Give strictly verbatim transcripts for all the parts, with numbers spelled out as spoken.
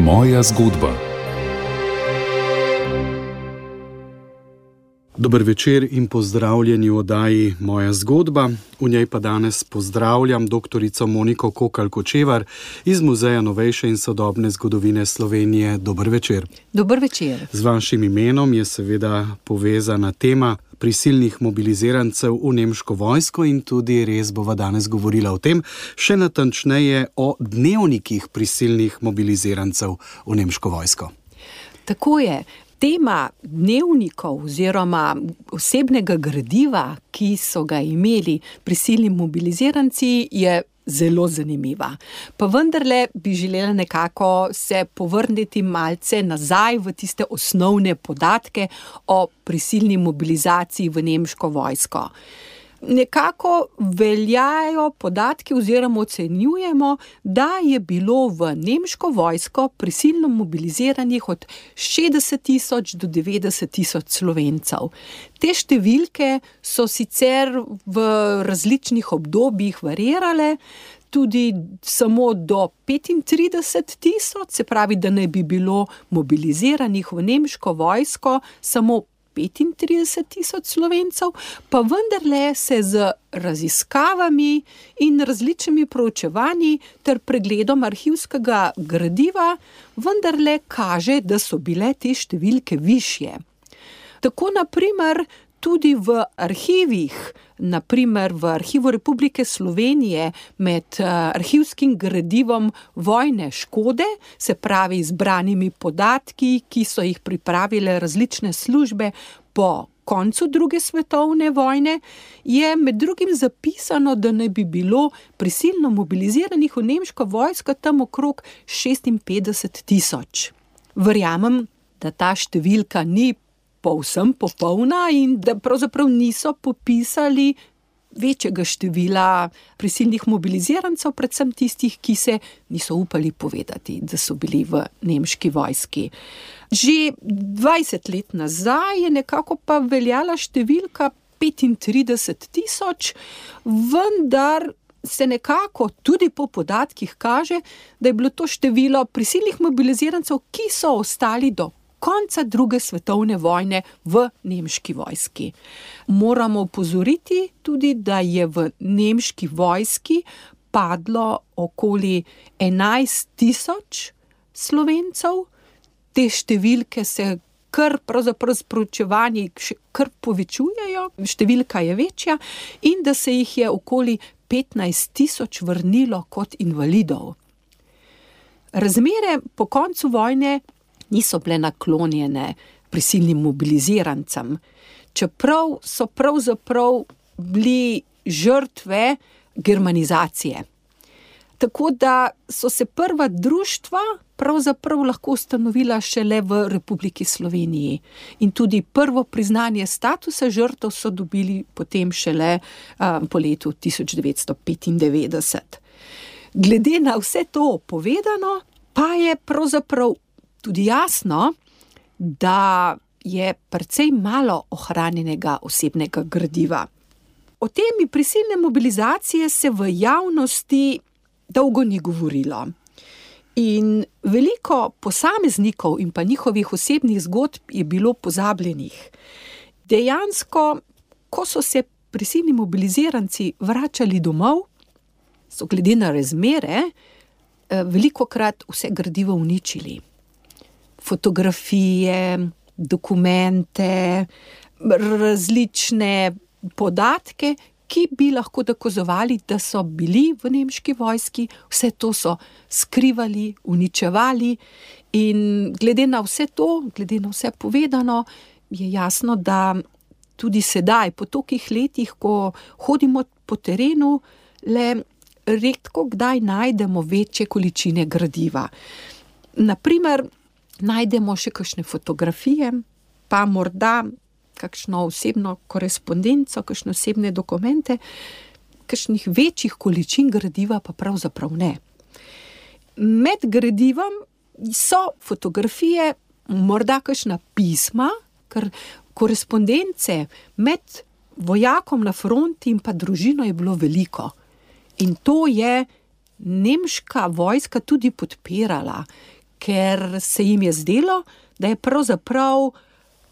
Moja zgodba. Dober večer in pozdravljeni v oddaji Moja zgodba. V njej pa danes pozdravljam doktorico Moniko Kokalj-Kočevar iz Muzeja novejše in sodobne zgodovine Slovenije. Dober večer. Dober večer. Z vašim imenom je seveda povezana tema prisilnih mobilizirancev v nemško vojsko in tudi res bova danes govorila o tem, še natančneje o dnevnikih prisilnih mobilizirancev v nemško vojsko. Tako je. Tema dnevnikov oziroma osebnega gradiva, ki so ga imeli prisilni mobiliziranci, je zelo zanimiva. Pa vendarle bi želela nekako se povrniti malce nazaj v tiste osnovne podatke o prisilni mobilizaciji v nemško vojsko. Nekako veljajo podatki oziroma ocenjujemo, da je bilo v nemško vojsko prisilno mobiliziranih od šestdeset tisoč do devetdeset tisoč Slovencev. Te številke so sicer v različnih obdobjih variirale, tudi samo do petintrideset tisoč, se pravi, da ne bi bilo mobiliziranih v nemško vojsko samo petintrideset tisoč Slovencev, pa vendarle se z raziskavami in različnimi proučevanji ter pregledom arhivskega gradiva vendarle kaže, da so bile te številke višje. Tako na primer tudi v arhivih, na primer v Arhivu Republike Slovenije med arhivskim gradivom vojne škode, se pravi zbranimi podatki, ki so jih pripravile različne službe po koncu druge svetovne vojne, je med drugim zapisano, da ne bi bilo prisilno mobiliziranih v nemško vojsko tam okrog šestinpetdeset tisoč. Verjamem, da ta številka ni povsem popolna in da pravzaprav niso popisali večjega števila prisilnih mobilizirancev, predvsem tistih, ki se niso upali povedati, da so bili v nemški vojski. Že dvajset let nazaj je nekako pa veljala številka petintrideset tisoč, vendar se nekako tudi po podatkih kaže, da je bilo to število prisilnih mobilizirancev, ki so ostali do konca druge svetovne vojne v nemški vojski. Moramo opozoriti tudi, da je v nemški vojski padlo okoli enajst tisoč Slovencev. Te številke se kar pravzaprav s proučevanji še kar povečujejo, številka je večja in da se jih je okoli petnajst tisoč vrnilo kot invalidov. Razmere po koncu vojne niso bile naklonjene prisilnim mobilizirancem, čeprav so pravzaprav bili žrtve germanizacije. Tako da so se prva društva pravzaprav lahko ustanovila šele v Republiki Sloveniji in tudi prvo priznanje statusa žrtev so dobili potem šele um, po letu tisoč devetsto petindevetdeset. Glede na vse to povedano, pa je pravzaprav tudi jasno, da je precej malo ohranjenega osebnega gradiva. O temi prisilne mobilizacije se v javnosti dolgo ni govorilo. In veliko posameznikov in pa njihovih osebnih zgodb je bilo pozabljenih. Dejansko, ko so se prisilni mobiliziranci vračali domov, so glede na razmere velikokrat vse gradivo uničili. Fotografije, dokumente, različne podatke, ki bi lahko dokazovali, da so bili v nemški vojski, vse to so skrivali, uničevali in glede na vse to, glede na vse povedano, je jasno, da tudi sedaj, po tolikih letih, ko hodimo po terenu, le redko kdaj najdemo večje količine gradiva. Naprimer, najdemo še kakšne fotografije, pa morda kakšno osebno korespondenco, kakšne osebne dokumente, kakšnih večjih količin gradiva pa pravzaprav ne. Med gradivom so fotografije, morda kakšna pisma, ker korespondence med vojakom na fronti in pa družino je bilo veliko. In to je nemška vojska tudi podpirala, ker se jim je zdelo, da je pravzaprav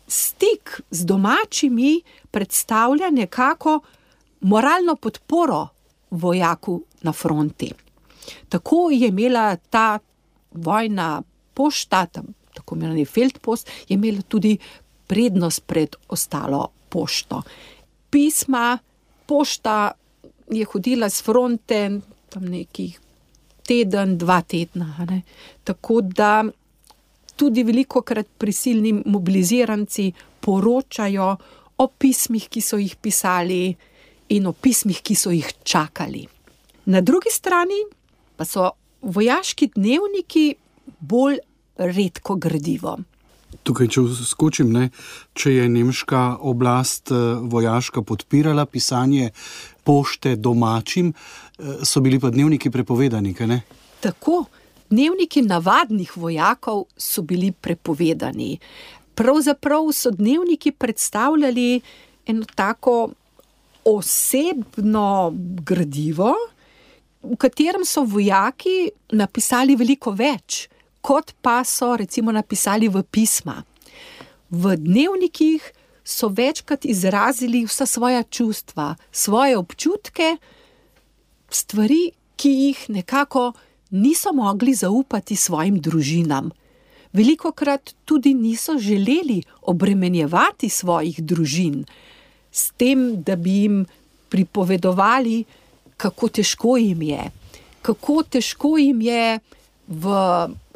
stik z domačimi predstavlja nekako moralno podporo vojaku na fronti. Tako je imela ta vojna pošta, tako imenovani feldpost, je imela tudi prednost pred ostalo pošto. Pisma, pošta je hodila s fronte tam nekih teden, dva tedna. Ne? Tako da tudi velikokrat prisilni mobiliziranci poročajo o pismih, ki so jih pisali in o pismih, ki so jih čakali. Na drugi strani pa so vojaški dnevniki bolj redko gradivo. Tukaj, če skočim, ne, če je nemška oblast vojaška podpirala pisanje pošte domačim, so bili pa dnevniki prepovedani, kaj ne? Tako, dnevniki navadnih vojakov so bili prepovedani. Pravzaprav so dnevniki predstavljali eno tako osebno gradivo, v katerem so vojaki napisali veliko več, kot pa so recimo napisali v pisma. V dnevnikih so večkrat izrazili vsa svoja čustva, svoje občutke, stvari, ki jih nekako niso mogli zaupati svojim družinam. Velikokrat tudi niso želeli obremenjevati svojih družin s tem, da bi jim pripovedovali, kako težko jim je, kako težko jim je v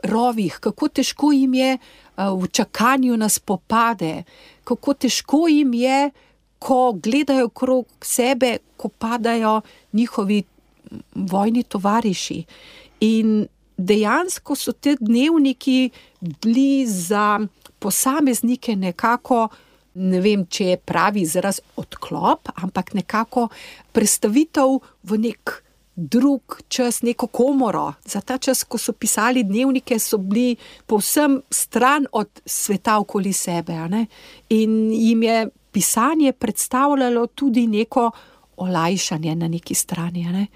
rovih, kako težko jim je v čakanju na spopade, kako težko jim je, ko gledajo krog sebe, ko padajo njihovi vojni tovariši. In dejansko so te dnevniki bili za posameznike nekako, ne vem, če je pravi izraz odklop, ampak nekako prestavitev v nek drug čas, neko komoro. Za ta čas, ko so pisali dnevnike, so bili povsem stran od sveta okoli sebe. Ne? In jim je pisanje predstavljalo tudi neko olajšanje na neki strani. Ne?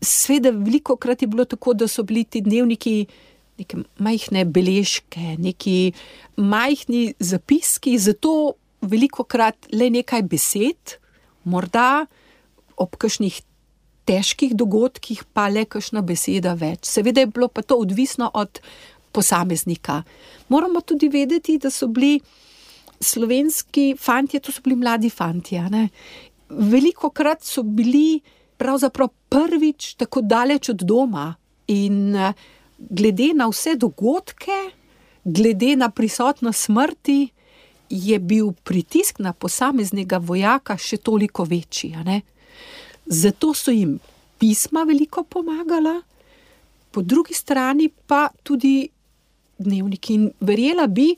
Sveda velikokrat je bilo tako, da so bili ti dnevniki neke majhne beležke, neki majhni zapiski, zato velikokrat le nekaj besed, morda ob kakšnih težkih dogodkih pa le kakšna beseda več. Seveda je bilo pa to odvisno od posameznika. Moramo tudi vedeti, da so bili slovenski fantje, to so bili mladi fantje. Ne? Velikokrat so bili pravzaprav prvič tako daleč od doma in glede na vse dogodke, glede na prisotnost smrti, je bil pritisk na posameznega vojaka še toliko večji. Ne? Zato so jim pisma veliko pomagala, po drugi strani pa tudi dnevniki. In verjela bi,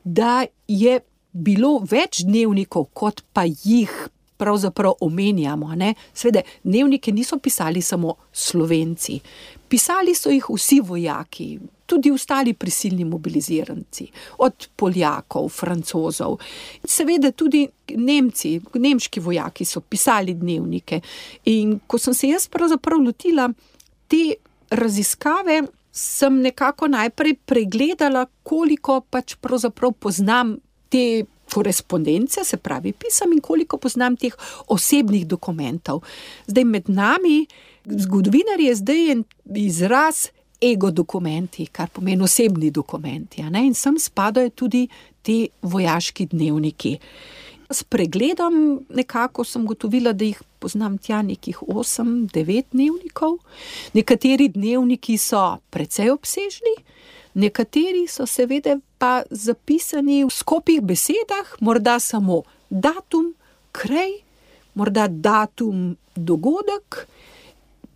da je bilo več dnevnikov, kot pa jih pravzaprav omenjamo. Ne? Sveda, dnevnike niso pisali samo Slovenci. Pisali so jih vsi vojaki, tudi ostali prisilni mobiliziranci, od Poljakov, Francozov. Seveda tudi Nemci, nemški vojaki so pisali dnevnike. In ko sem se jaz pravzaprav lotila te raziskave, sem nekako najprej pregledala, koliko pač pravzaprav poznam te korespondence, se pravi pisem, in koliko poznam teh osebnih dokumentov. Zdaj med nami, zgodovinarji, je zdaj en izraz ego dokumenti, kar pomeni osebni dokumenti. Ne? In sem spadajo tudi te vojaški dnevniki. S pregledom nekako sem gotovila, da jih poznam tja nekih osem, devet dnevnikov. Nekateri dnevniki so precej obsežni, nekateri so seveda pa zapisani v skopih besedah, morda samo datum, kraj, morda datum, dogodek,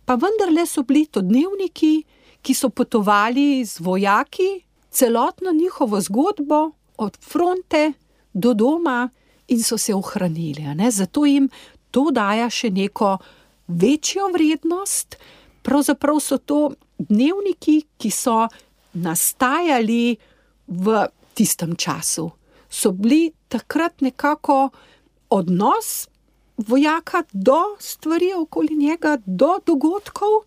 pa vendarle so bili to dnevniki, ki so potovali z vojaki, celotno njihovo zgodbo od fronte do doma in so se ohranili. Ne? Zato jim to daja še neko večjo vrednost. Pravzaprav so to dnevniki, ki so nastajali v tistem času. So bili takrat nekako odnos vojaka do stvari okoli njega, do dogodkov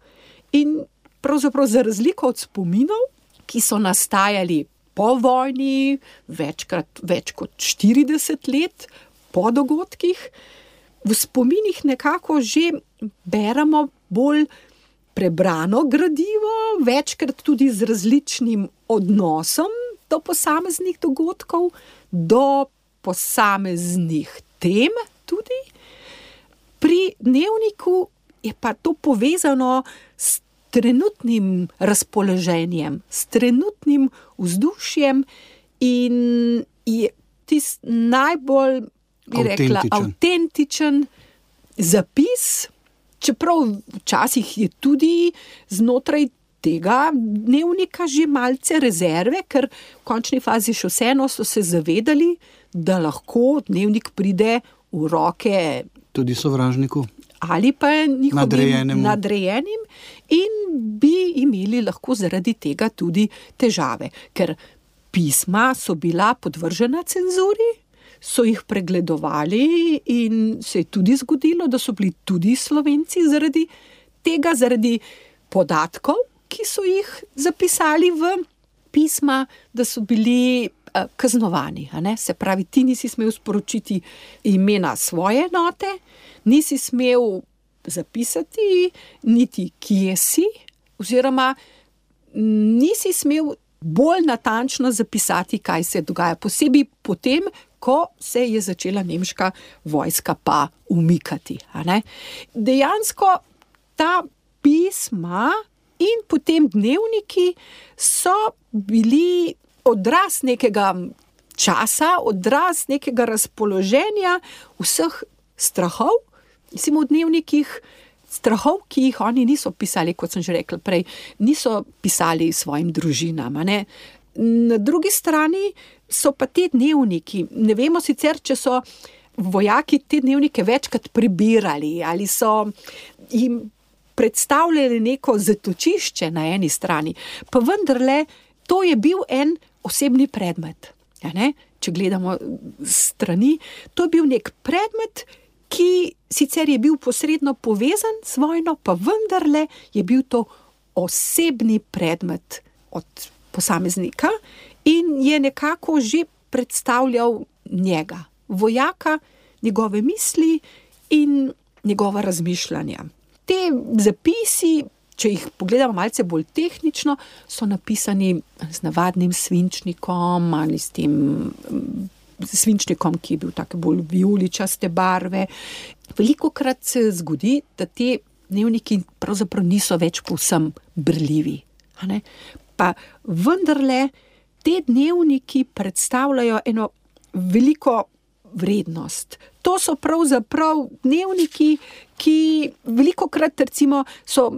in pravzaprav za razliko od spominov, ki so nastajali po vojni, večkrat več kot štirideset let po dogodkih. V spominih nekako že beremo bolj prebrano gradivo, večkrat tudi z različnim odnosom do posameznih dogodkov, do posameznih tem tudi. Pri dnevniku je pa to povezano s trenutnim razpoloženjem, s trenutnim vzdušjem in je tisti najbolj, bi rekla, avtentičen zapis, čeprav včasih je tudi znotraj tega dnevnika že malce rezerve, ker v končni fazi še vseeno so se zavedali, da lahko dnevnik pride v roke tudi sovražniku ali pa njihovim nadrejenim. nadrejenim in bi imeli lahko zaradi tega tudi težave, ker pisma so bila podvržena cenzuri, so jih pregledovali in se je tudi zgodilo, da so bili tudi Slovenci zaradi tega, zaradi podatkov, ki so jih zapisali v pisma, da so bili uh, kaznovani. A ne? Se pravi, ti nisi smel sporočiti imena svoje enote, nisi smel zapisati niti kje si, oziroma nisi smel bolj natančno zapisati, kaj se dogaja. Posebej potem, ko se je začela nemška vojska pa umikati. A ne? Dejansko ta pisma in potem dnevniki so bili odraz nekega časa, odraz nekega razpoloženja, vseh strahov, mislim v dnevnikih, strahov, ki jih oni niso pisali, kot sem že rekla prej, niso pisali svojim družinam. A ne? Na drugi strani so pa te dnevniki, ne vemo sicer, če so vojaki te dnevnike večkrat prebirali ali so jim predstavljali neko zatočišče na eni strani, pa vendarle to je bil en osebni predmet. Ja, ne? Če gledamo strani, to je bil nek predmet, ki sicer je bil posredno povezan z vojno, pa vendarle je bil to osebni predmet od posameznika in je nekako že predstavljal njega, vojaka, njegove misli in njegova razmišljanja. Te zapisi, če jih pogledamo malce bolj tehnično, so napisani z navadnim svinčnikom ali s tem svinčnikom, ki je bil tako bolj vijoličaste barve. Velikokrat se zgodi, da te dnevniki pravzaprav niso več povsem brljivi. A ne? Pa vendarle te dnevniki predstavljajo eno veliko vrednost. To so pravzaprav dnevniki, ki velikokrat recimo so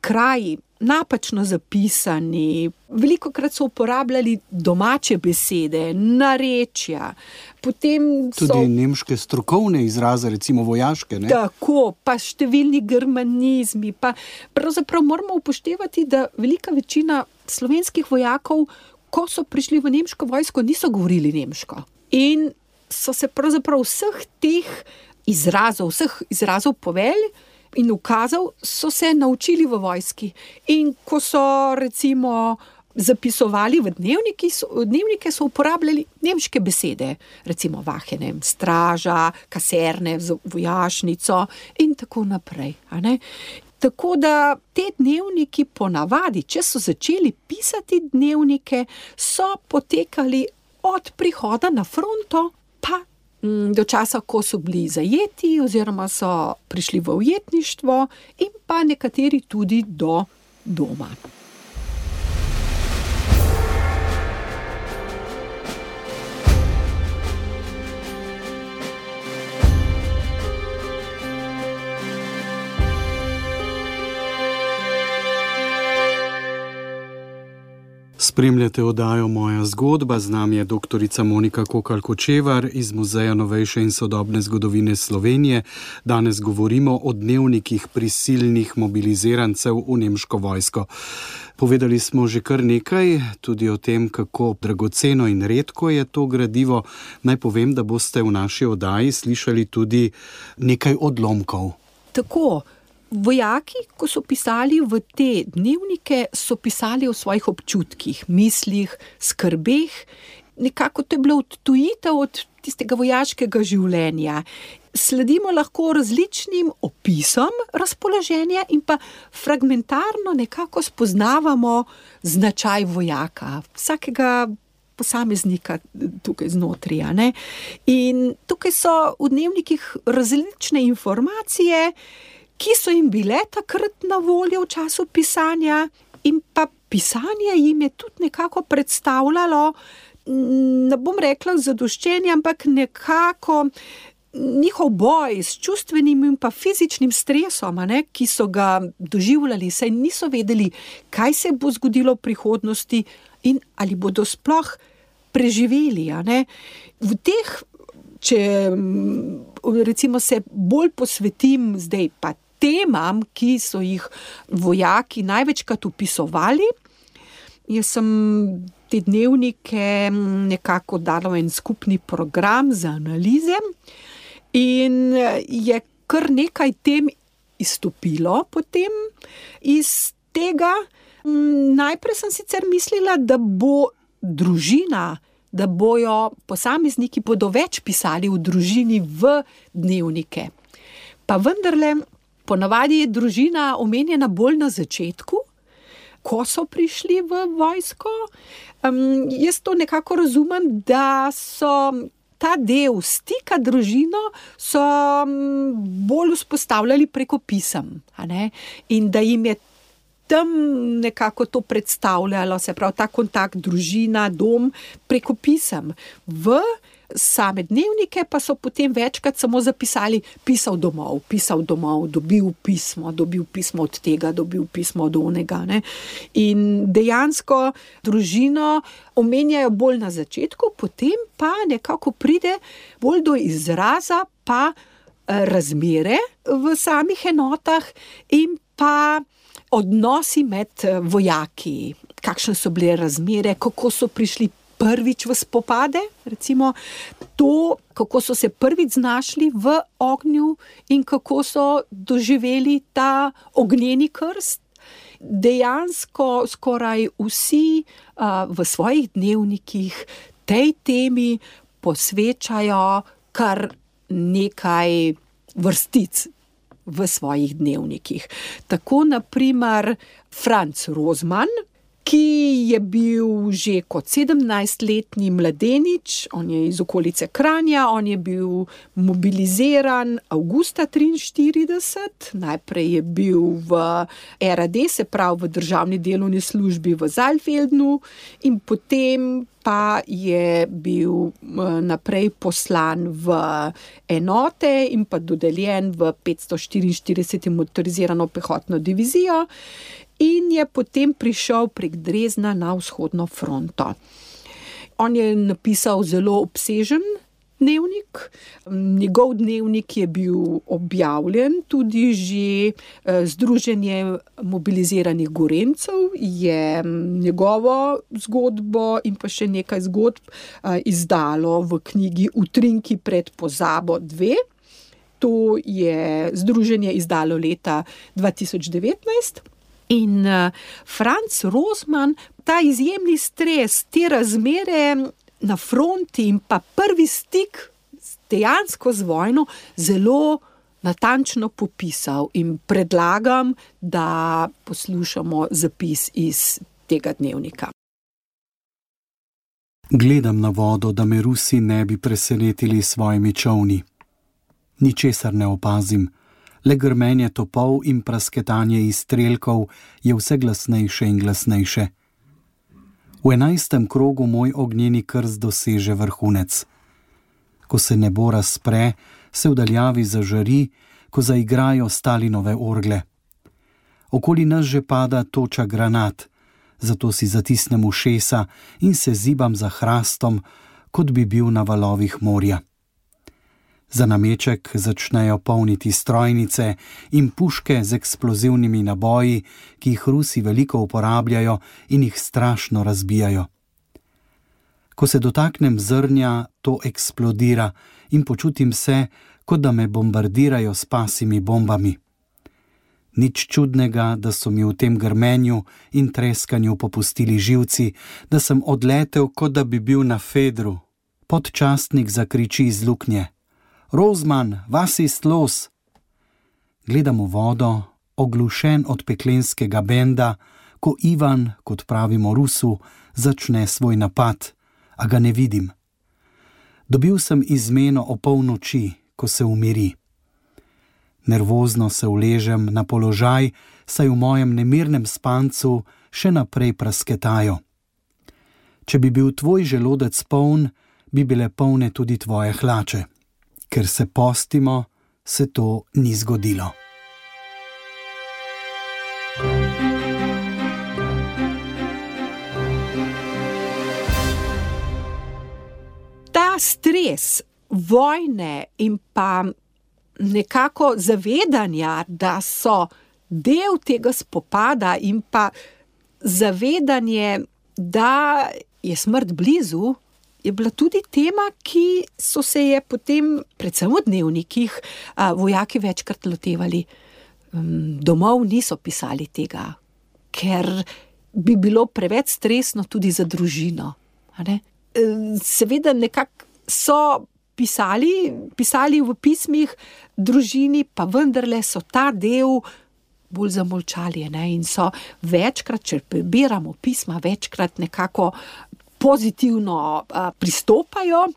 kraji napačno zapisani, velikokrat so uporabljali domače besede, narečja, potem so... Tudi nemške strokovne izraze, recimo vojaške, ne? Tako, pa številni germanizmi, pa pravzaprav moramo upoštevati, da velika večina slovenskih vojakov, ko so prišli v nemško vojsko, niso govorili nemško. In so se pravzaprav vseh teh izrazov, vseh izrazov povelj in ukazov so se naučili v vojski. In ko so recimo zapisovali v dnevniki, so, dnevnike so uporabljali nemške besede, recimo vahene, straža, kaserne, vojašnico in tako naprej. A ne? Tako da te dnevniki ponavadi, če so začeli pisati dnevnike, so potekali od prihoda na fronto pa do časa, ko so bili zajeti oziroma so prišli v ujetništvo in pa nekateri tudi do doma. Spremljate oddajo Moja zgodba, z nami je doktorica Monika Kokalj-Kočevar iz Muzeja novejše in sodobne zgodovine Slovenije. Danes govorimo o dnevnikih prisilnih mobilizirancev v nemško vojsko. Povedali smo že kar nekaj, tudi o tem, kako dragoceno in redko je to gradivo. Naj povem, da boste v naši oddaji slišali tudi nekaj odlomkov. Tako, Vojaki, ko so pisali v te dnevnike, so pisali o svojih občutkih, mislih, skrbeh. Nekako to je bilo odtujitev od tistega vojaškega življenja. Sledimo lahko različnim opisom razpoloženja in pa fragmentarno nekako spoznavamo značaj vojaka, vsakega posameznika tukaj znotraj, a ne. In tukaj so v dnevnikih različne informacije, ki so jim bile takrat na voljo v času pisanja, in pa pisanje jim je tudi nekako predstavljalo, ne bom rekla zadoščenje, ampak nekako njihov boj s čustvenim in pa fizičnim stresom, a ne, ki so ga doživljali, saj niso vedeli, kaj se bo zgodilo v prihodnosti in ali bodo sploh preživeli, a ne. V teh, če recimo se bolj posvetim zdaj pa temam, ki so jih vojaki največkrat opisovali, jaz sem te dnevnike nekako dala en skupni program za analize in je kar nekaj tem izstopilo potem iz tega. Najprej sem sicer mislila, da bo družina, da bojo posamezniki bodo več pisali v družini v dnevnike. Pa vendarle, ponavadi je družina omenjena bolj na začetku, ko so prišli v vojsko. Um, jaz to nekako razumem, da so ta del stika družino so bolj vzpostavljali preko pisem, a ne? In da jim je tam nekako to predstavljalo, se pravi ta kontakt družina, dom preko pisem. V same dnevnike pa so potem večkrat samo zapisali pisal domov, pisal domov, dobil pismo, dobil pismo od tega, dobil pismo od onega, ne. In dejansko družino omenjajo bolj na začetku, potem pa nekako pride bolj do izraza pa razmere v samih enotah in pa odnosi med vojaki, kakšne so bile razmere, kako so prišli prvič v spopade, recimo to, kako so se prvič znašli v ognju in kako so doživeli ta ognjeni krst. Dejansko skoraj vsi uh, v svojih dnevnikih tej temi posvečajo kar nekaj vrstic v svojih dnevnikih. Tako na primer Franz Rozman, ki je bil že kot sedemnajstletni mladenič, on je iz okolice Kranja, on je bil mobiliziran avgusta triinštirideset, najprej je bil v R A D, se pravi v državni delovni službi v Saalfeldnu, in potem pa je bil naprej poslan v enote in pa dodeljen v petsto štiriinštirideseto motorizirano pehotno divizijo in je potem prišel prek Dresdna na vzhodno fronto. On je napisal zelo obsežen dnevnik. Njegov dnevnik je bil objavljen, tudi že Združenje mobiliziranih Gorenjcev je njegovo zgodbo in pa še nekaj zgodb izdalo v knjigi Utrinki pred pozabo dve. To je združenje izdalo leta dva tisoč devetnajst. In Franz Rozman, ta izjemni stres, te razmere na fronti in pa prvi stik dejansko z vojno zelo natančno popisal in predlagam, da poslušamo zapis iz tega dnevnika. Gledam na vodo, da me Rusi ne bi presenetili s svojimi čolni. Ničesar ne opazim. Le grmenje topov in prasketanje izstrelkov je vse glasnejše in glasnejše. V enajstem krogu moj ognjeni krst doseže vrhunec. Ko se nebo razpre, se v daljavi zažari, ko zaigrajo Stalinove orgle. Okoli nas že pada toča granat, zato si zatisnem ušesa in se zibam za hrastom, kot bi bil na valovih morja. Za nameček začnejo polniti strojnice in puške z eksplozivnimi naboji, ki jih Rusi veliko uporabljajo in jih strašno razbijajo. Ko se dotaknem zrnja, to eksplodira in počutim se, kot da me bombardirajo s pasimi bombami. Nič čudnega, da so mi v tem grmenju in treskanju popustili živci, da sem odletel, kot da bi bil na fedru. Podčastnik zakriči iz luknje: Rozman, vas ist los? Gledam v vodo, oglušen od peklenskega benda, ko Ivan, kot pravimo Rusu, začne svoj napad, a ga ne vidim. Dobil sem izmeno o polnoči, ko se umiri. Nervozno se uležem na položaj, saj v mojem nemirnem spancu še naprej prasketajo. Če bi bil tvoj želodec poln, bi bile polne tudi tvoje hlače. Ker se postimo, se to ni zgodilo. Ta stres vojne in pa nekako zavedanja, da so del tega spopada in pa zavedanje, da je smrt blizu, je bila tudi tema, ki so se je potem, predvsem v dnevnikih, vojaki večkrat lotevali. Domov niso pisali tega, ker bi bilo preveč stresno tudi za družino. Seveda nekako so pisali, pisali v pismih družini, pa vendarle so ta del bolj zamolčali, ne? In so večkrat, če prebiramo pisma, večkrat nekako pozitivno a, pristopajo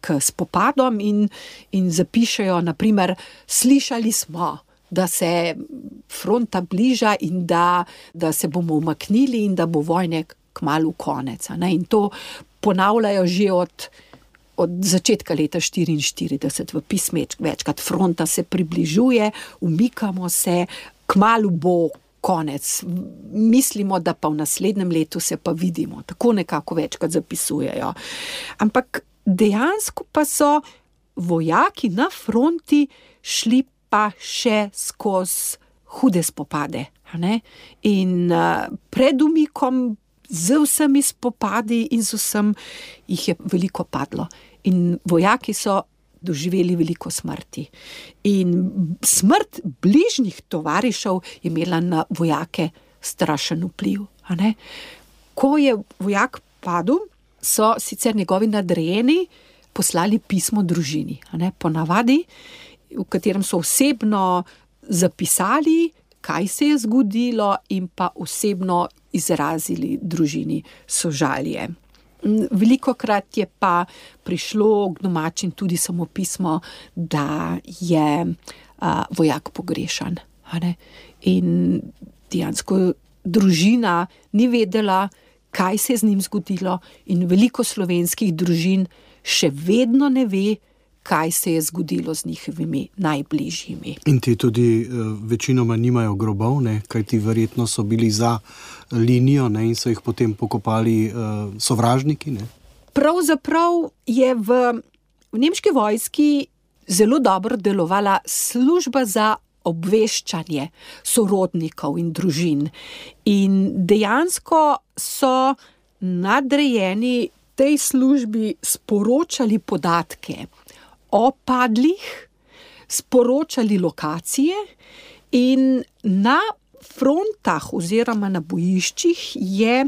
k spopadom in, in zapišejo, naprimer, slišali smo, da se fronta bliža in da, da se bomo umaknili in da bo vojne kmalu konec. Ne? In to ponavljajo že od od začetka leta štiriinštirideset v pismeč, večkrat fronta se približuje, umikamo se, kmalu bo konec. Mislimo, da pa v naslednjem letu se pa vidimo. Tako nekako večkrat zapisujejo. Ampak dejansko pa so vojaki na fronti šli pa še skozi hude spopade. Ne? In uh, pred umikom z vsemi spopadi in z vsem jih je veliko padlo. In vojaki so doživeli veliko smrti. In smrt bližnjih tovarišev je imela na vojake strašen vpliv. A ne? Ko je vojak padel, so sicer njegovi nadrejeni poslali pismo družini. A ne? Ponavadi, v katerem so osebno zapisali, kaj se je zgodilo in pa osebno izrazili družini sožalje. Velikokrat je pa prišlo k domačim tudi samo pismo, da je a, vojak pogrešan. In dejansko družina ni vedela, kaj se je z njim zgodilo, in veliko slovenskih družin še vedno ne ve, kaj se je zgodilo z njihovimi najbližjimi. In ti tudi uh, večinoma nimajo grobov, ne? Kaj ti verjetno so bili za linijo, ne? In so jih potem pokopali uh, sovražniki. Ne? Pravzaprav je v, v nemški vojski zelo dobro delovala služba za obveščanje sorodnikov in družin. In dejansko so nadrejeni tej službi sporočali podatke o padlih, sporočali lokacije, in na frontah oziroma na bojiščih je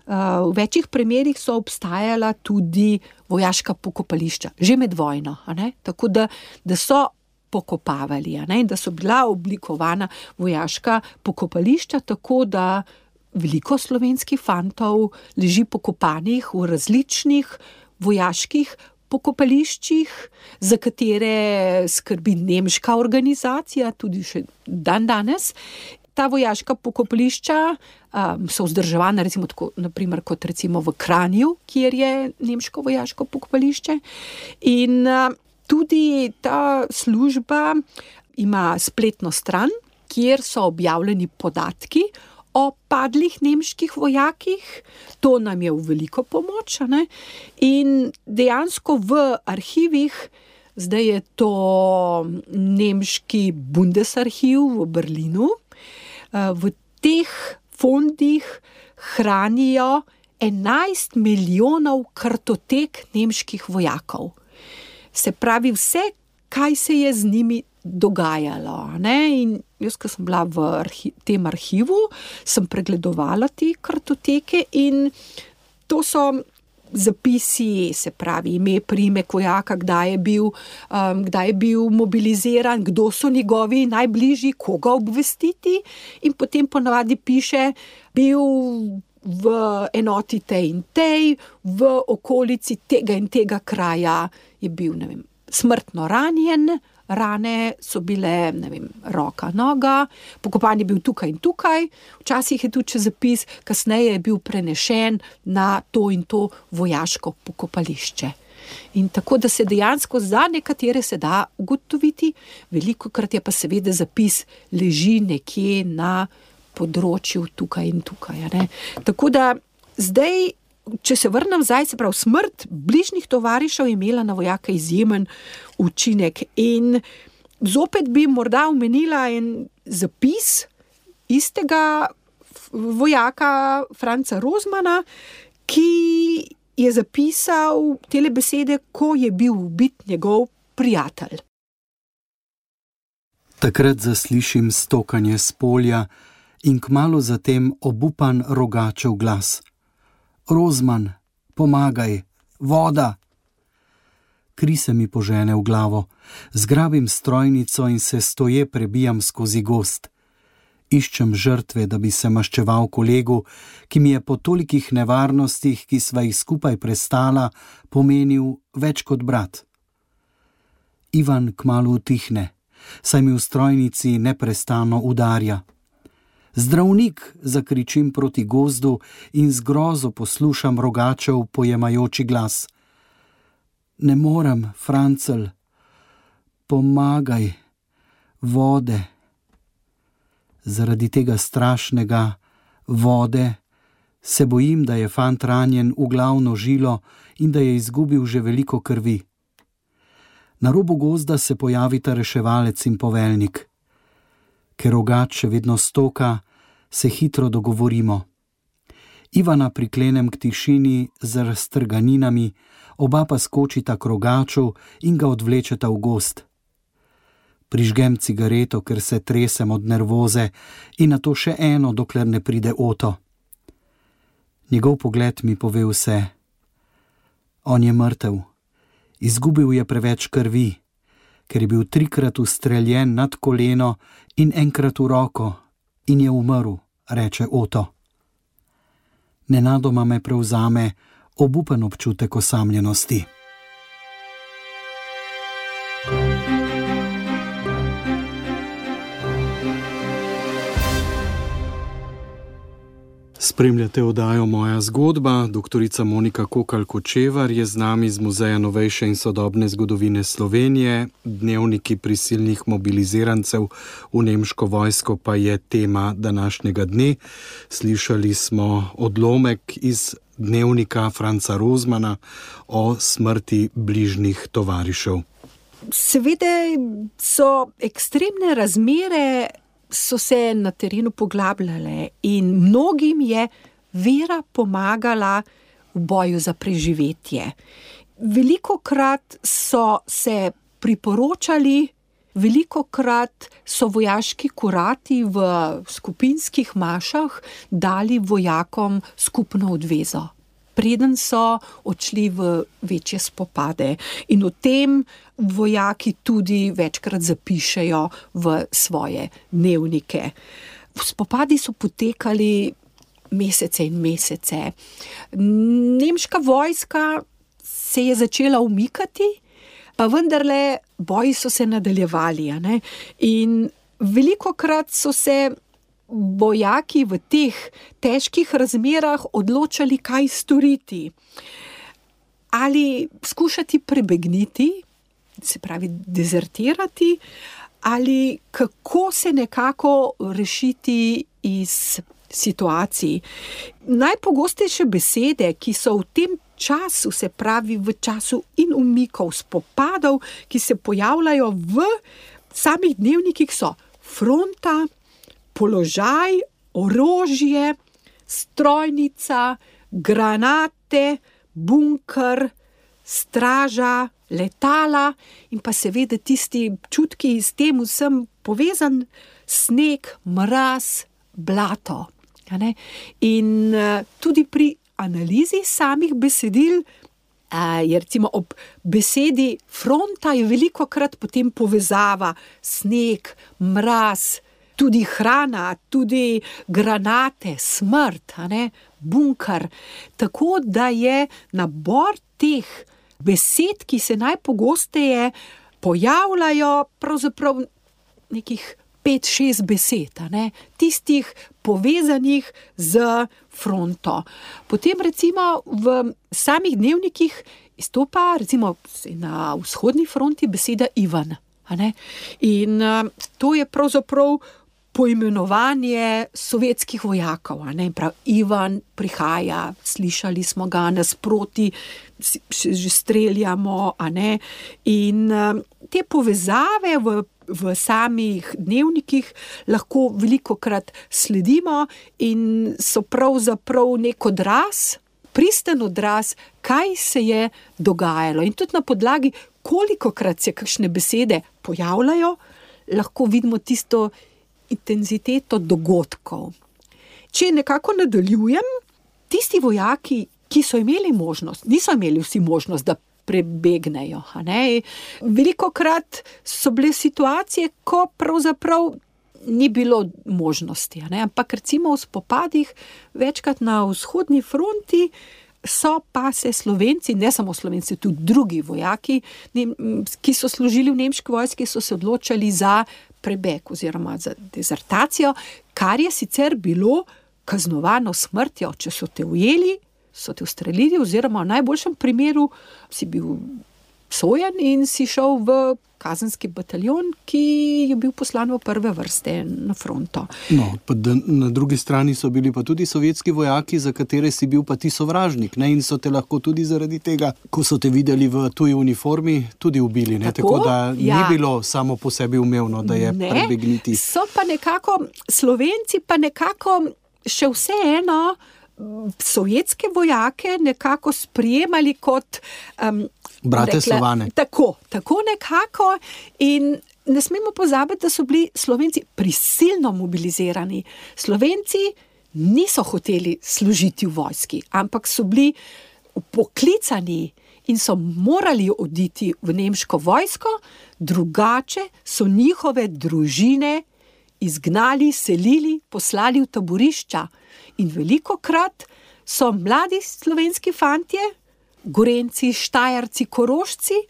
v večjih primerih so obstajala tudi vojaška pokopališča, že med vojno, a ne? Tako da, da so pokopavali, a ne? Da so bila oblikovana vojaška pokopališča, tako da veliko slovenskih fantov leži pokopanih v različnih vojaških pokopališčih, za katere skrbi nemška organizacija, tudi še dan danes. Ta vojaška pokopališča um, so vzdrževana, recimo tako, naprimer, kot recimo v Kranju, kjer je nemško vojaško pokopališče. In uh, tudi ta služba ima spletno stran, kjer so objavljeni podatki o padlih nemških vojakih. To nam je v veliko pomoč. Ne? In dejansko v arhivih, zdaj je to nemški Bundesarchiv v Berlinu, v teh fondih hranijo enajst milijonov kartotek nemških vojakov. Se pravi, vse, kaj se je z njimi dogajalo. Ne? In jaz, ko sem bila v arhi- tem arhivu, sem pregledovala te kartoteke in to so zapisi, se pravi ime, priimek vojaka, kdaj je bil, um, kdaj je bil mobiliziran, kdo so njegovi najbližji, koga obvestiti, in potem ponavadi piše, bil v enoti tej in tej, v okolici tega in tega kraja je bil, ne vem, smrtno ranjen, rane so bile, ne vem, roka, noga, pokopan je bil tukaj in tukaj, včasih je tudi zapis, kasneje je bil prenešen na to in to vojaško pokopališče. In tako, da se dejansko za nekatere se da ugotoviti, velikokrat je pa seveda zapis leži nekje na področju tukaj in tukaj. Ne? Tako da zdaj, če se vrnem zdaj, se pravi, smrt bližnjih tovarišev je imela na vojaka izjemen učinek. In zopet bi morda omenila en zapis istega vojaka Franca Rozmana, ki je zapisal tele besede, ko je bil ubit njegov prijatelj. Takrat zaslišim stokanje s polja in kmalu zatem obupan rogačev glas. Rozman, pomagaj, voda! Kri se mi požene v glavo, zgrabim strojnico in se stoje prebijam skozi gozd. Iščem žrtve, da bi se maščeval kolegu, ki mi je po tolikih nevarnostih, ki sva jih skupaj prestala, pomenil več kot brat. Ivan kmalu utihne, saj mi v strojnici neprestano udarja. Zdravnik, zakričim proti gozdu in z grozo poslušam rogačev pojemajoči glas. Ne morem, Francel, pomagaj, vode. Zaradi tega strašnega vode se bojim, da je fant ranjen v glavno žilo in da je izgubil že veliko krvi. Na robu gozda se pojavita reševalec in poveljnik. Ker rogač še vedno stoka, se hitro dogovorimo. Ivana priklenem k tišini z raztrganinami, oba pa skočita k rogaču in ga odvlečeta v gozd. Prižgem cigareto, ker se tresem od nervoze, in nato še eno, dokler ne pride Oto. Njegov pogled mi pove vse. On je mrtev. Izgubil je preveč krvi, ker je bil trikrat ustreljen nad koleno in enkrat v roko in je umrl, reče Oto. Nenadoma me prevzame obupen občutek osamljenosti. Spremljate oddajo Moja zgodba. Doktorica Monika Kokalj-Kočevar je z nami z Muzeja novejše in sodobne zgodovine Slovenije. Dnevniki prisilnih mobilizirancev v nemško vojsko pa je tema današnjega dne. Slišali smo odlomek iz dnevnika Franca Rozmana o smrti bližnjih tovarišev. Seveda so ekstremne razmere, so se na terenu poglabljale in mnogim je vera pomagala v boju za preživetje. Velikokrat so se priporočali, velikokrat so vojaški kurati v skupinskih mašah dali vojakom skupno odvezo, preden so odšli v večje spopade. In o tem vojaki tudi večkrat zapišejo v svoje dnevnike. Spopadi so potekali mesece in mesece. Nemška vojska se je začela umikati, pa vendarle boji so se nadaljevali. A ne? In velikokrat so se vojaki v teh težkih razmerah odločali, kaj storiti. Ali skušati prebegniti, se pravi dezertirati, ali kako se nekako rešiti iz situacij. Najpogostejše besede, ki so v tem času, se pravi v času in umikov, spopadov, ki se pojavljajo v samih dnevnikih, so fronta, položaj, orožje, strojnica, granate, bunker, straža, letala in pa seveda tisti čutki s tem vsem povezan, sneg, mraz, blato. A ne? In uh, tudi pri analizi samih besedil uh, je recimo ob besedi fronta je velikokrat potem povezava sneg, mraz, tudi hrana, tudi granate, smrt, a ne? Bunker. Tako da je nabor teh besed, ki se najpogosteje pojavljajo, pravzaprav nekih pet, šest besed, a ne? Tistih povezanih z fronto. Potem recimo v samih dnevnikih izstopa recimo na vzhodni fronti beseda Ivan. A ne? In uh, to je pravzaprav poimenovanje sovjetskih vojakov. A ne? Prav, Ivan prihaja, slišali smo ga nasproti, že streljamo. A ne? In uh, te povezave v v samih dnevnikih lahko velikokrat sledimo in so pravzaprav nek odraz, pristen odraz, kaj se je dogajalo. In tudi na podlagi, kolikokrat se kakšne besede pojavljajo, lahko vidimo tisto intenziteto dogodkov. Če nekako nadaljujem, tisti vojaki, ki so imeli možnost, niso imeli vsi možnost, da prebegnejo. A ne? Velikokrat so bile situacije, ko pravzaprav ni bilo možnosti. A ne? Ampak recimo v spopadih večkrat na vzhodni fronti so pa se Slovenci, ne samo Slovenci, tudi drugi vojaki, ki so služili v nemški vojski, so se odločali za prebeg oziroma za dezertacijo, kar je sicer bilo kaznovano smrtjo, če so te ujeli, so te ustrelili oziroma v najboljšem primeru si bil sojen in si šel v kazenski bataljon, ki je bil poslan v prve vrste na fronto. No, pa na drugi strani so bili pa tudi sovjetski vojaki, za katere si bil pa ti sovražnik, ne? In so te lahko tudi zaradi tega, ko so te videli v tuji uniformi, tudi ubili. Ne? Tako, Tako da ja. Ni bilo samo po sebi umevno, da je ne, prebegniti. So pa nekako, Slovenci pa nekako še vseeno sovjetske vojake nekako sprijemali kot um, brate rekla, Slovane. Tako, tako nekako in ne smemo pozabiti, da so bili Slovenci prisilno mobilizirani. Slovenci niso hoteli služiti v vojski, ampak so bili poklicani in so morali oditi v nemško vojsko, drugače so njihove družine izgnali, selili, poslali v taborišča. In velikokrat so mladi slovenski fantje, Gorenci, Štajerci, Korošci,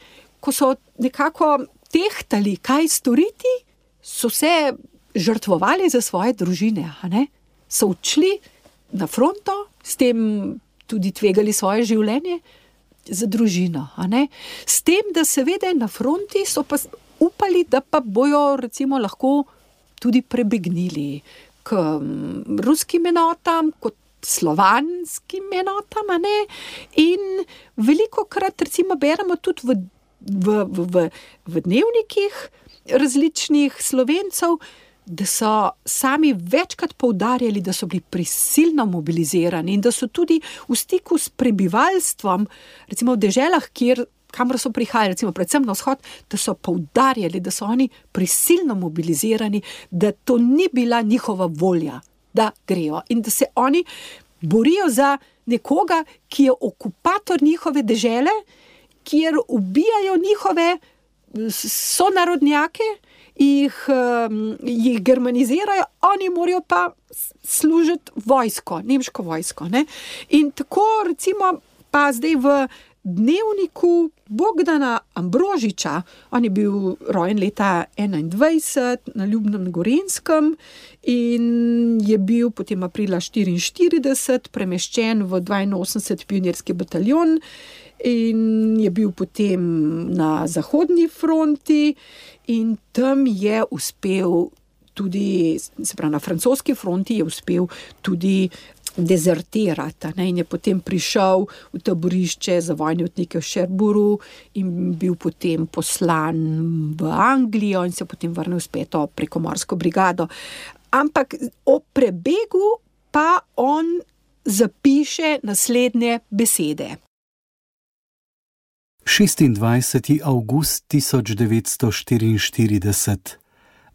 ko so nekako tehtali, kaj storiti, so se žrtvovali za svoje družine. A ne? So odšli na fronto, s tem tudi tvegali svoje življenje za družino. A ne? S tem, da seveda na fronti so pa upali, da pa bojo recimo lahko tudi prebegnili k ruskim enotam, kot slovanskim enotam, a ne? In velikokrat recimo beremo tudi v, v, v, v dnevnikih različnih Slovencev, da so sami večkrat poudarjali, da so bili prisilno mobilizirani in da so tudi v stiku s prebivalstvom, recimo v deželah, kjer kamor so prihajali, recimo predvsem na vzhod, da so poudarjali, da so oni prisilno mobilizirani, da to ni bila njihova volja, da grejo in da se oni borijo za nekoga, ki je okupator njihove dežele, kjer ubijajo njihove sonarodnjake, jih, jih germanizirajo, oni morajo pa služiti vojsko, nemško vojsko. Ne? In tako recimo pa zdaj v dnevniku Bogdana Ambrožiča, on je bil rojen leta enaindvajset na Ljubnem Gorenjskem in je bil potem aprila štiriinštirideset premeščen v dvainosemdeseti pionirski bataljon in je bil potem na zahodni fronti in tam je uspel tudi, se pravi na francoski fronti je uspel tudi dezertirati, ne, in je potem prišel v taborišče za vojne otnike v Cherbourgu in bil potem poslan v Anglijo in se potem vrnil spet preko morsko brigado. Ampak o prebegu pa on zapiše naslednje besede. šestindvajseti avgust tisoč devetsto štiriinštirideset.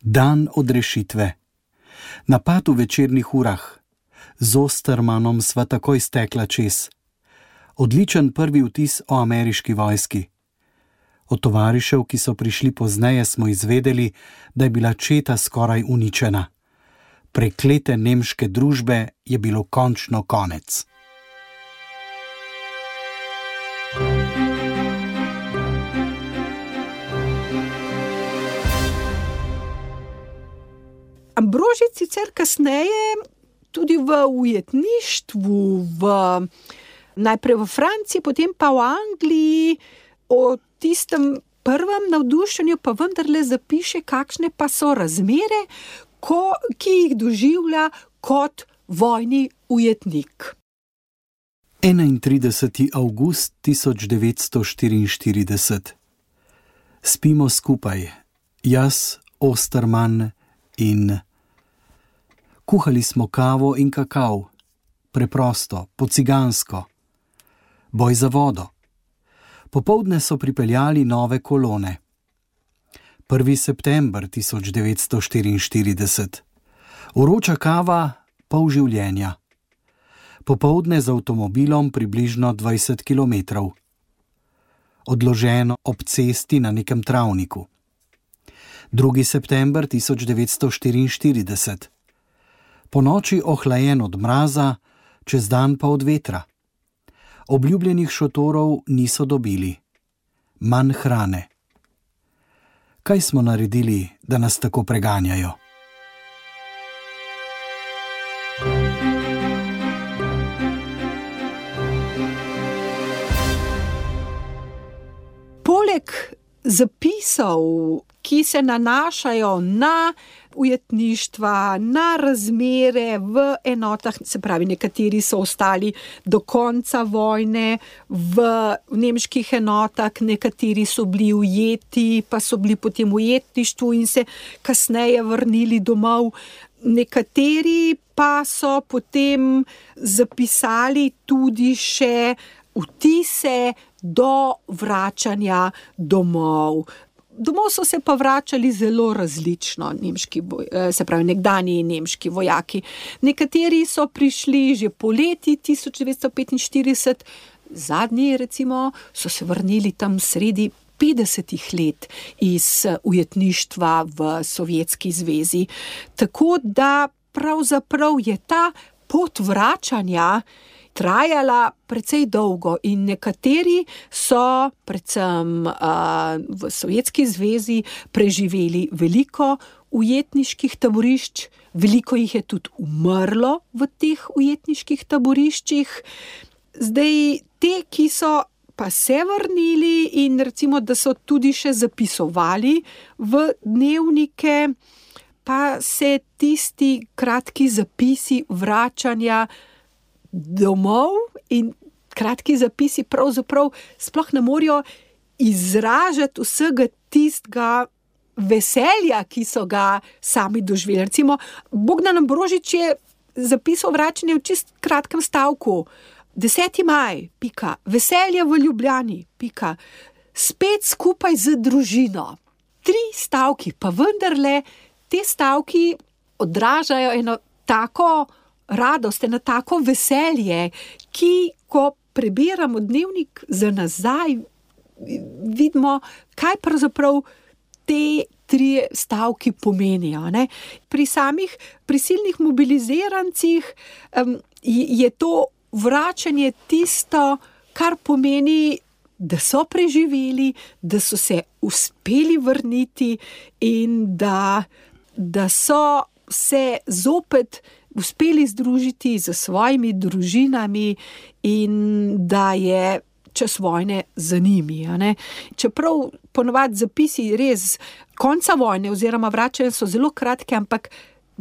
Dan odrešitve. Napad v večernih urah. Z Ostermanom sva takoj stekla čez. Odličen prvi vtis o ameriški vojski. Od tovarišev, ki so prišli pozneje, smo izvedeli, da je bila četa skoraj uničena. Preklete nemške družbe je bilo končno konec. Ambrožič sicer kasneje tudi v ujetništvu, v, najprej v Franciji, potem pa v Angliji, o tistem prvem navdušenju pa vendarle zapiše, kakšne pa so razmere, ko, ki jih doživlja kot vojni ujetnik. enaintrideseti avgust tisoč devetsto štiriinštirideset. Spimo skupaj, jaz, Osterman in... Kuhali smo kavo in kakav, preprosto, po cigansko. Boj za vodo. Popoldne so pripeljali nove kolone. prvi september tisoč devetsto štiriinštirideset. Vroča kava, pol življenja. Popoldne z avtomobilom približno dvajset kilometrov. Odloženo ob cesti na nekem travniku. drugi september tisoč devetsto štiriinštirideset. Po noči ohlajen od mraza, čez dan pa od vetra. Obljubljenih šotorov niso dobili. Manj hrane. Kaj smo naredili, da nas tako preganjajo? Poleg zapisov, ki se nanašajo na ujetništva, na razmere v enotah, se pravi, nekateri so ostali do konca vojne v nemških enotah, nekateri so bili ujeti, pa so bili potem v ujetništvu in se kasneje vrnili domov. Nekateri pa so potem zapisali tudi še vtise do vračanja domov. Domov so se pa vračali zelo različno, nemški, se pravi, nekdanji nemški vojaki. Nekateri so prišli že poleti tisoč devetsto petinštirideset, zadnji recimo so se vrnili tam sredi petdesetih let iz ujetništva v Sovjetski zvezi. Tako da pravzaprav je ta pot vračanja trajala precej dolgo in nekateri so predvsem uh, v Sovjetski zvezi preživeli veliko ujetniških taborišč, veliko jih je tudi umrlo v teh ujetniških taboriščih. Zdaj, te, ki so pa se vrnili in recimo, da so tudi še zapisovali v dnevnike, pa se tisti kratki zapisi vračanja domov in kratki zapisi pravzaprav sploh ne morejo izražati vsega tistega veselja, ki so ga sami doživeli. Recimo, Bogdan Ambrožič je zapisal vračanje v čist kratkem stavku. deseti maj, pika, veselje v Ljubljani, pika, spet skupaj z družino. Tri stavki, pa vendarle te stavki odražajo eno tako radost, eno tako veselje, ki, ko prebiramo dnevnik za nazaj, vidimo, kaj pravzaprav te tri stavki pomenijo. Ne? Pri samih prisilnih mobilizirancih um, je to vračanje tisto, kar pomeni, da so preživeli, da so se uspeli vrniti in da, da so se zopet uspeli združiti z svojimi družinami in da je čas vojne za njimi. Ne? Čeprav ponovadi zapisi res konca vojne oziroma vračanja so zelo kratke, ampak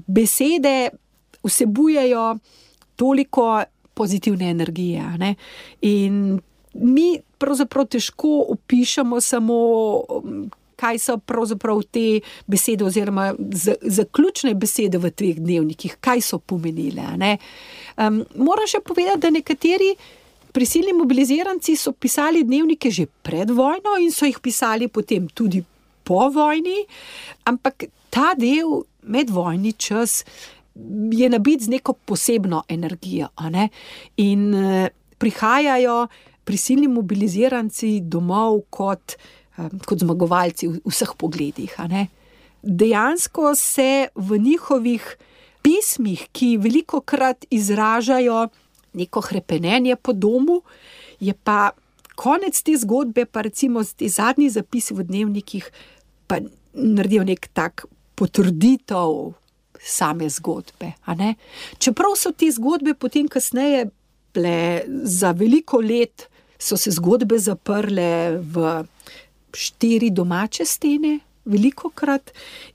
besede vsebujejo toliko pozitivne energije. Ne? In mi pravzaprav težko opišemo samo, kaj so pravzaprav te besede oziroma zaključne besede v teh dnevnikih, kaj so pomenile. Ne? Um, moram še povedati, da nekateri prisilni mobiliziranci so pisali dnevnike že pred vojno in so jih pisali potem tudi po vojni, ampak ta del medvojni čas je nabit z neko posebno energijo, a ne? In eh, prihajajo prisilni mobiliziranci domov kot, eh, kot zmagovalci v vseh pogledih, a ne? Dejansko se v njihovih pismih, ki velikokrat izražajo neko hrepenenje po domu, je pa konec te zgodbe, pa recimo te zadnji zapisi v dnevnikih, pa naredijo nek tak potrditev same zgodbe, a ne? Čeprav so te zgodbe potem kasneje bile za veliko let, so se zgodbe zaprle v štiri domače stene, velikokrat,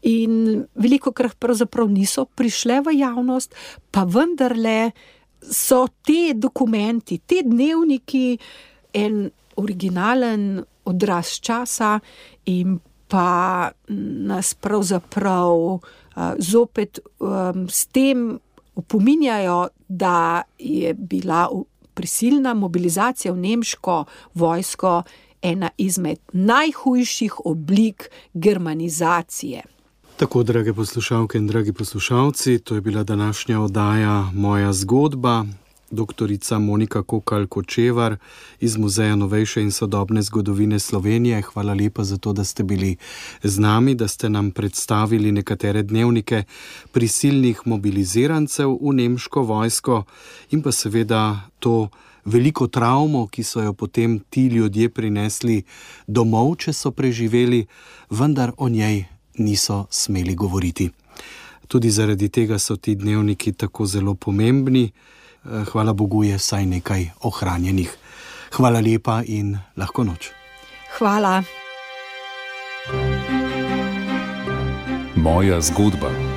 in velikokrat pravzaprav niso prišle v javnost, pa vendarle so te dokumenti, te dnevniki en originalen odraz časa in pa nas pravzaprav uh, zopet um, s tem opominjajo, da je bila prisilna mobilizacija v nemško vojsko ena izmed najhujših oblik germanizacije. Tako, drage poslušalke in dragi poslušalci, to je bila današnja oddaja Moja zgodba. Doktorica Monika Kokalj-Kočevar iz Muzeja novejše in sodobne zgodovine Slovenije. Hvala lepa za to, da ste bili z nami, da ste nam predstavili nekatere dnevnike prisilnih mobilizirancev v nemško vojsko in pa seveda to veliko travmo, ki so jo potem ti ljudje prinesli domov, če so preživeli, vendar o njej niso smeli govoriti. Tudi zaradi tega so ti dnevniki tako zelo pomembni. Hvala Bogu je vsaj nekaj ohranjenih. Hvala lepa in lahko noč. Hvala. Moja zgodba.